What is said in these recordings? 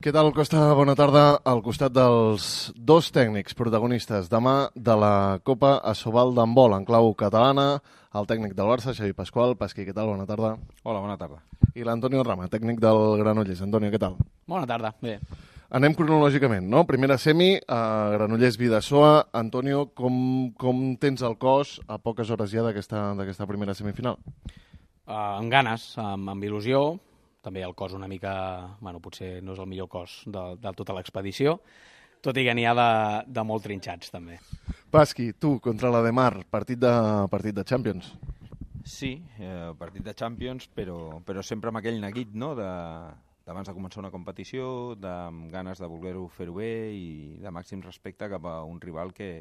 Què tal, Costa? Bona tarda. Al costat dels dos tècnics protagonistes demà de la Copa Asobal d'handbol en clau catalana, el tècnic del Barça, Xavi Pasqual. Pasqui, què tal? Bona tarda. Hola, bona tarda. I l'Antonio Rama, tècnic del Granollers. Antonio, què tal? Bona tarda, bé. Anem cronològicament, no? Primera semi, Granollers Bidasoa. Antonio, com tens el cos a poques hores ja d'aquesta primera semifinal? Amb ganes, amb il·lusió. També el cos una mica, bueno, potser no és el millor cos de tota l'expedició, tot i que n'hi ha de molt trinxats, també. Pasqui, tu, contra la de Mar, partit de Champions. Sí, partit de Champions, però sempre amb aquell neguit, no?, d'abans de començar una competició, amb ganes de voler-ho fer-ho bé i de màxim respecte cap a un rival que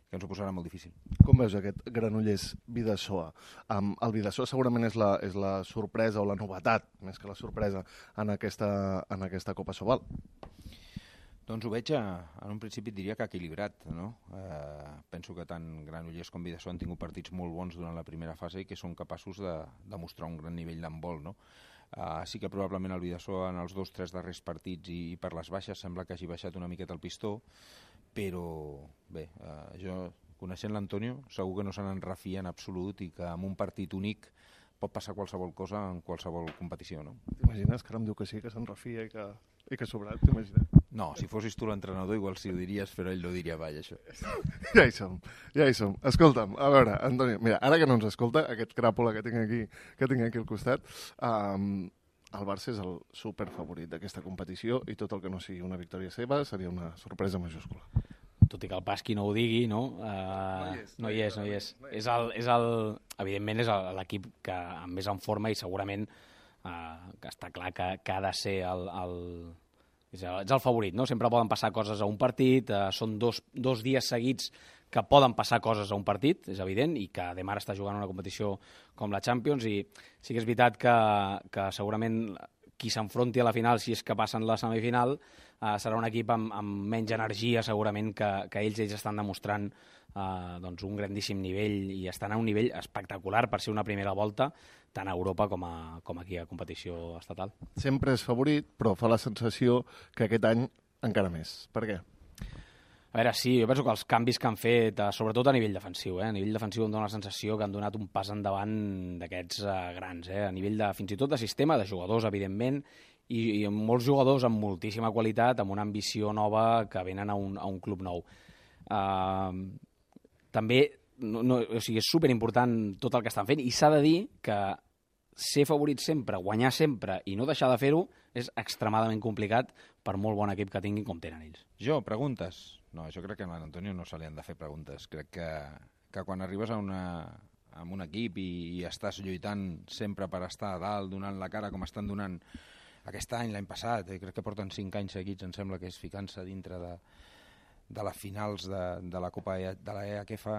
ens ho posarà molt difícil. Com veus aquest Granollers Bidasoa? El Bidasoa segurament és la sorpresa o la novetat, més que la sorpresa, en aquesta Copa Asobal. Doncs ho veig, en un principi diria que equilibrat, no? Penso que tant Granollers com Bidasoa han tingut partits molt bons durant la primera fase i que són capaços de demostrar un gran nivell d'handbol, no? Sí que probablement el Bidasoa en els 2-3 darrers partits i per les baixes sembla que hagi baixat una miqueta el pistó, però bé, jo, coneixent l'Antonio, segur que no se n'enrefia en absolut i que en un partit únic pot passar qualsevol cosa en qualsevol competició, no? T'imagines que ara em diu que sí, que s'enrefia i que sobrat, t'imagines? No, si fossis tu l'entrenador igual sí ho diries, però ell no diria mai, això. Ja hi som. Escolta'm, a veure, Antonio, mira, ara que no ens escolta, aquest cràpula que tinc aquí al costat, el Barça és el superfavorit d'aquesta competició i tot el que no sigui una victòria seva seria una sorpresa majúscula. Tot i que el Pasqui no ho digui, no? No hi és. Evidentment és l'equip que més en forma i segurament que està clar que ha de ser és el favorit, no? Sempre poden passar coses a un partit, són dos dies seguits que poden passar coses a un partit, és evident, i que Demar està jugant una competició com la Champions, i sí que és veritat que segurament qui s'enfronti a la final, si és que passen la semifinal, serà un equip amb menys energia, segurament, que ells estan demostrant doncs un grandíssim nivell i estan a un nivell espectacular per ser una primera volta, tant a Europa com aquí a competició estatal. Sempre és favorit, però fa la sensació que aquest any encara més. Per què? A veure, sí, jo penso que els canvis que han fet, sobretot a nivell defensiu, a nivell defensiu em dóna la sensació que han donat un pas endavant d'aquests grans, a nivell fins i tot de sistema, de jugadors, evidentment, i molts jugadors amb moltíssima qualitat, amb una ambició nova que venen a un club nou. També, o sigui, és superimportant tot el que estan fent, i s'ha de dir que ser favorit sempre, guanyar sempre i no deixar de fer-ho és extremadament complicat per molt bon equip que tinguin com tenen ells. Preguntes? No, jo crec que a l'Antonio no se li han de fer preguntes. Crec que quan arribes a un equip i estàs lluitant sempre per estar a dalt, donant la cara com estan donant aquest any, l'any passat, crec que porten 5 anys seguits, em sembla que és ficant-se dintre de les finals de la Copa de la EHF.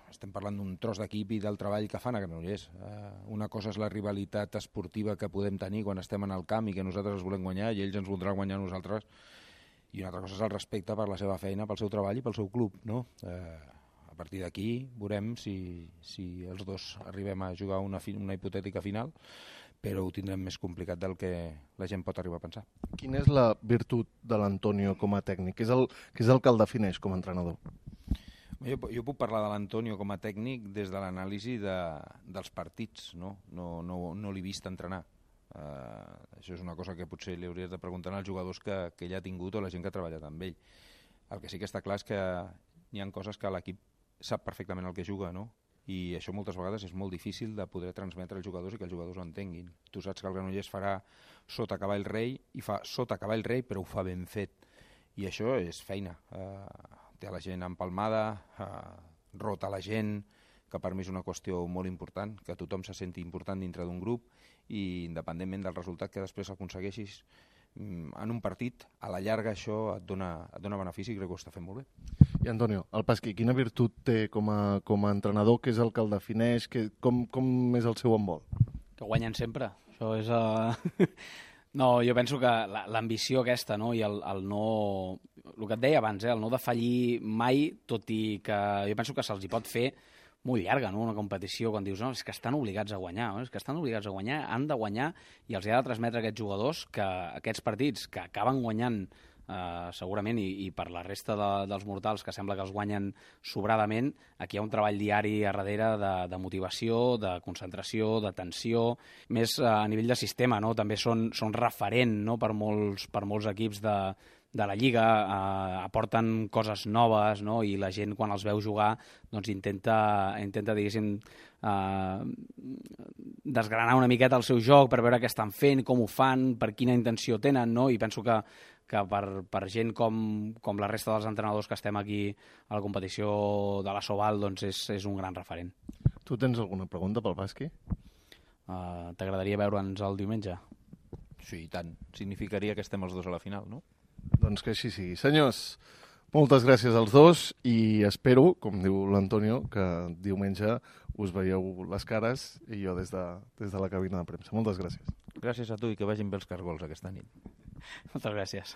Estem parlant d'un tros d'equip i del treball que fan a Granollers. Una cosa és la rivalitat esportiva que podem tenir quan estem en el camp i que nosaltres els volem guanyar i ells ens voldran guanyar a nosaltres, i una altra cosa és el respecte per la seva feina, pel seu treball i pel seu club, no? A partir d'aquí veurem si els dos arribem a jugar una hipotètica final, però ho tindrem més complicat del que la gent pot arribar a pensar. Quina és la virtut de l'Antonio com a tècnic? Què és el que el defineix com a entrenador? Jo puc parlar de l'Antonio com a tècnic des de l'anàlisi dels partits, no l'he vist entrenar. Això és una cosa que potser li hauries de preguntar als jugadors que ell ha tingut o la gent que ha treballat amb ell. El que sí que està clar és que hi ha coses que l'equip sap perfectament el que juga, no? I això moltes vegades és molt difícil de poder transmetre als jugadors i que els jugadors ho entenguin. Tu saps que el Granollers farà sota cavall rei i fa sota cavall rei, però ho fa ben fet, i això és feina. Té la gent empalmada, rota la gent, que per mi és una qüestió molt important, que tothom se senti important dintre d'un grup i independentment del resultat que després aconsegueixis en un partit, a la llarga això et dona benefici i crec que ho està fent molt bé. I Antonio, el Pasqui, quina virtut té com a entrenador? Què és el que el defineix? Com és el seu handbol? Que guanyen sempre. Això és... No, jo penso que l'ambició aquesta, no? I el no... El que et deia abans, el no defallir mai, tot i que jo penso que se'ls hi pot fer molt llarga, no? Una competició, quan dius, no, és que estan obligats a guanyar, no? És que estan obligats a guanyar, han de guanyar, i els ha de transmetre a aquests jugadors que aquests partits que acaben guanyant segurament, i per la resta dels mortals que sembla que els guanyen sobradament, aquí hi ha un treball diari a darrere de motivació, de concentració, de tensió, més a nivell de sistema, no? També són referent, no? per molts equips de la Lliga, aporten coses noves, no? I la gent quan els veu jugar doncs intenta diguéssim, desgranar una miqueta el seu joc per veure què estan fent, com ho fan, per quina intenció tenen, no? I penso que per gent com la resta dels entrenadors que estem aquí a la competició de la Sobal, doncs és un gran referent. Tu tens alguna pregunta pel Basqui? T'agradaria veure'ns el diumenge? Sí, i tant. Significaria que estem els dos a la final, no? Doncs que així sigui. Senyors, moltes gràcies als dos i espero, com diu l'Antonio, que diumenge us veieu les cares i jo des de la cabina de premsa. Moltes gràcies. Gràcies a tu i que vagin bé els cargols aquesta nit. Moltes gràcies.